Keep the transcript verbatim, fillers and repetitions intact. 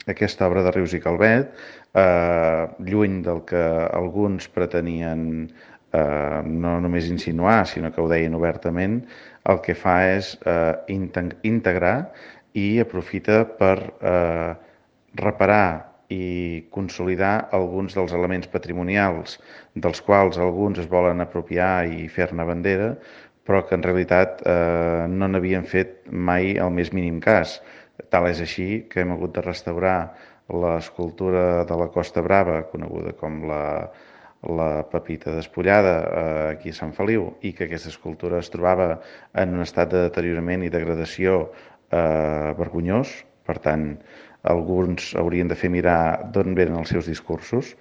aquesta obra de Rius i Calvet, eh, lluny del que alguns pretenien eh, no només insinuar, sinó que ho deien obertament, el que fa és eh, integrar i aprofita per eh, reparar i consolidar alguns dels elements patrimonials dels quals alguns es volen apropiar i fer-ne bandera, però que en realitat eh, no n'havien fet mai el més mínim cas. Tal és així que hem hagut de restaurar l'escultura de la Costa Brava, coneguda com la, la Pepita Despullada, eh, aquí a Sant Feliu, i que aquesta escultura es trobava en un estat de deteriorament i degradació eh, vergonyós. Per tant, alguns haurien de fer mirar d'on venen els seus discursos.